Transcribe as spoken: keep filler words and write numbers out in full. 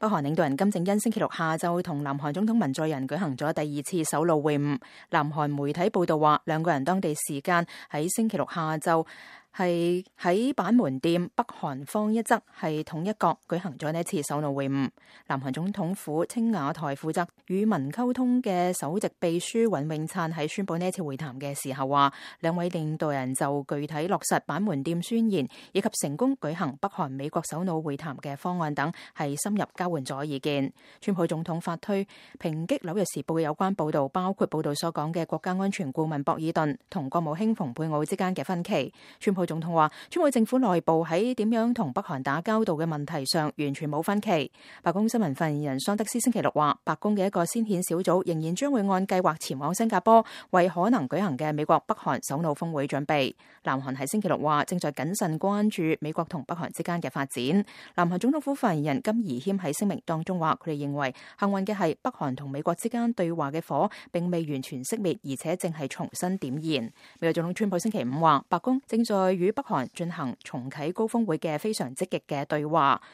北韓領導人金正恩星期六下晝同南韓總統文在寅舉行咗第二次首腦會晤。南韓媒體報道話，兩個人當地時間喺星期六下晝係喺板門店，北韓方一側係統一角舉行咗呢一次首腦會晤。南韓總統府青瓦台負責與民溝通嘅首席秘書尹永燦喺宣佈呢一次會談嘅時候話，兩位領導人就具體落實板門店宣言以及成功舉行北韓美國首腦會談嘅方案等，係深入交換咗意見。川普總統發推抨擊紐約時報嘅有關報導，包括報導所講嘅國家安全顧問博爾頓同國務卿蓬佩奧之間嘅分歧。川普總統話，川普政府內部喺點樣同北韓打交道嘅問題上完全冇分歧。白宮新聞發言人桑德斯星期六話，白宮嘅一個先遣小組仍然將會按計劃前往新加坡，為可能舉行嘅美國北韓首腦峰會準備。南韓喺星期六話，正在謹慎關注美國同北韓之間嘅發展。南韓總統府發言人金怡謙喺聲明當中話，佢哋認為幸運嘅係北韓同美國之間對話嘅火並未完全熄滅，而且正係重新點燃。美國總統川普星期五話，白宮正在與北韓進行重啟高峰會嘅非常積極嘅對話。